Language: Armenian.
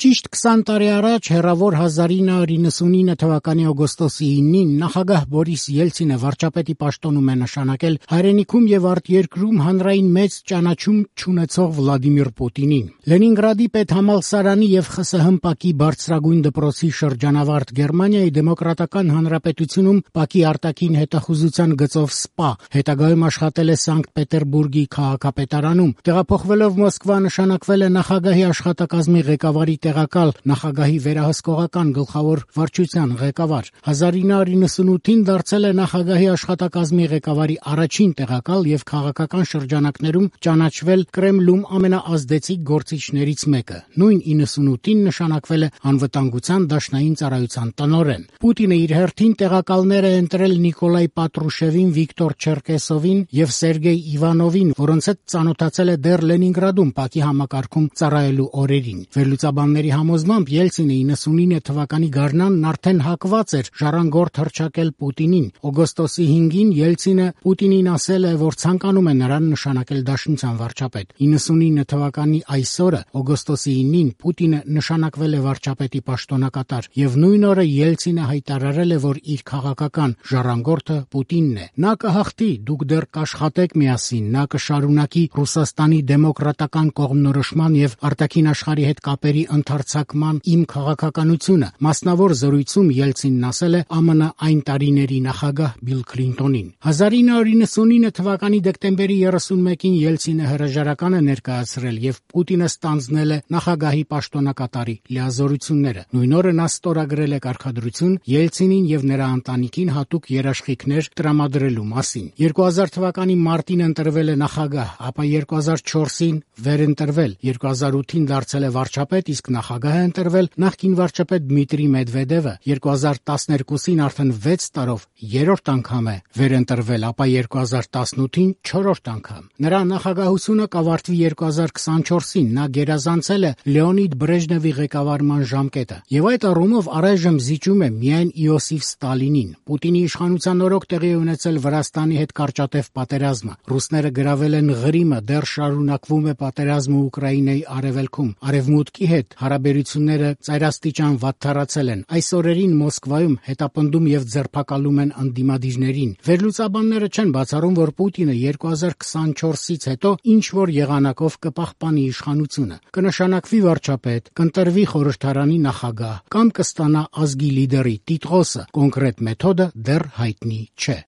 Ճիշտ 20 տարի առաջ հեռավոր 1999 թվականի օգոստոսի 9-ին նախագահ Բորիս Ելցինը վարչապետի պաշտոնում է նշանակել հայրենիքում եւ արտերկրում հանրային մեծ ճանաչում չունեցող Վլադիմիր Պուտինին։ Լենինգրադի պետհամալսարանի եւ ԽՍՀՄ-ՊԱԿ-ի բարձրագույն դպրոցի շրջանավարտ Գերմանիայի Դեմոկրատական Հանրապետությունում ՊԱԿ-ի արտաքին հետախուզության գծով ՍՊԱ, հետագայում աշխատել է Սանկտ Պետերբուրգի քաղաքապետարանում, տեղափոխվելով Մոսկվա նշանակվել է նախագահի աշխատակազմի ղեկավարի տեղակալ, նախագահի վերահսկողական գլխավոր վարչության ղեկավար։ 1998-ին դարձել է նախագահի աշխատակազմի ղեկավարի առաջին տեղակալ եւ քաղաքական շրջանակներում ճանաչվել Կրեմլում ամենաազդեցիկ գործիչներից մեկը։ Նույն 98-ին նշանակվել է անվտանգության դաշնային ծառայության տնօրեն։ Պուտինը իր հերթին տեղակալներ է ընտրել Նիկոլայ Պատրուշևին, Վիկտոր Չերկեսովին եւ Սերգեյ Իվանովին, որոնց հետ ծանոթացել է դեռ Լենինգրադում ՊԱԿ-ի համակարգում ծառայելու օրերին։ Վերլուծաբանների համոզմամբ Ելցինը 99 թվականի գարնանն արդեն հակված էր ժառանգորդ հռչակել Պուտինին։ Օգոստոսի 5-ին Ելցինը Պուտինին ասել է, որ ցանկանում է նրան նշանակել դաշնության վարչապետ։ 99 թվականի այսօրը, օգոստոսի 9-ին, Պուտինը նշանակվել է վարչապետի պաշտոնակատար եւ նույն օրը Ելցինը հայտարարել է, որ իր քաղաքական ժառանգորդը Պուտինն է։ Նա կհաղթի, դուք դեռ կաշխատեք միասին, նա կշարունակի Ռուսաստանի դեմոկրատական կողմնորոշման եւ արտաքին աշխարհի հետ կապերի ընդարձակման իմ քաղաքականությունը։ Մասնավոր զրույցում Ելցինն ասել է ԱՄՆ այն տարիների նախագահ Բիլ Քլինտոնին։ 1999 թվականի դեկտեմբերի 31-ին Ելցինը հրաժարական է ներկայացրել եւ Պուտինը ստանձնել է նախագահի պաշտոնակատարի լիազորությունները։ Նույն օրը նա ստորագրել է կարգադրություն Ելցինին եւ նրա ընտանիքին հատուկ երաշխիքներ տրամադրելու մասին։ 2000 թվականի մարտին ընտրվել է նախագահ, ապա 2004-ին վերընտրվել, 2008-ին դարձել է վարչապետ, իսկ նախագահ է ընտրվել նախկին վարչապետ Դմիտրի Մեդվեդևը, 2012-ին արդեն 6 տարով երրորդ անգամ է վերընտրվել, ապա 2018-ին 4-րդ անգամ։ Նրա նախագահությունը կավարտվի 2024-ին, նա գերազանցել է Լեոնիդ Բրեժնևի ղեկավարման ժամկետը եւ այդ առումով առայժմ զիջում է միայն Իոսիֆ Ստալինին։ Պուտինի իշխանության օրոք տեղի է ունեցել Վրաստանի հետ կարճատև պատերազմը։ Ռուսները գրավել են Ղրիմը, դեռ շարունակվում է պատերազմը Ուկրաինայի արևելքում։ Արևմուտքի հետ հարաբերությունները ծայրաստիճան վատթարացել են։ Այս օրերին Մոսկվայում հետապնդում եւ ձերբակալում են ընդդիմադիրներին։ Վերլուծաբանները չեն բացառում, որ Պուտինը 2024-ից հետո ինչ որ եղանակով կպահպանի իշխանությունը, կնշանակվի վարչապետ, կընտրվի խորհրդարանի նախագահ կամ կստանա ազգի լիդերի տիտղոսը։ Կոնկրետ մեթոդը դեռ հայտնի չէ։